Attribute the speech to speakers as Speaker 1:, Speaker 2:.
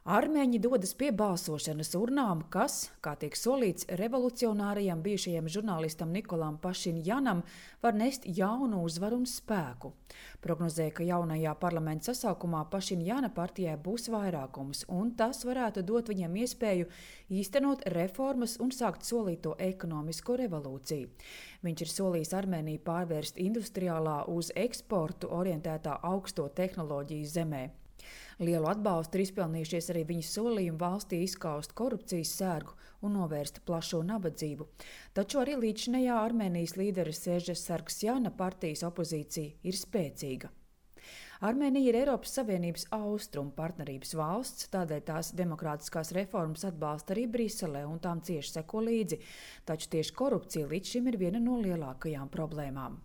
Speaker 1: Armēņi dodas pie balsošanas urnām, kas, kā tiek solīts, revolucionārajam bijušajam žurnālistam Nikolam Pašinjanam var nest jaunu uzvaru un spēku. Prognozēja, ka jaunajā parlamenta sasaukumā Pašinjana partijai būs vairākums, un tas varētu dot viņam iespēju īstenot reformas un sākt solīto ekonomisko revolūciju. Viņš ir solījis Armēniju pārvērst industriālā uz eksportu orientētā augsto tehnoloģiju zemē. Lielu atbalstu ir izpelnījušies arī viņa solījumi valstī izskaust korupcijas sērgu un novērst plašo nabadzību. Taču arī līdzinējā Armēnijas līdera Sežas Sargsjana partijas opozīcija ir spēcīga. Armēnija ir Eiropas Savienības austrumu partnerības valsts, tādēļ tās demokrātiskās reformas atbalsta arī Briselē un tām cieši seko līdzi, taču tieši korupcija līdz šim ir viena no lielākajām problēmām.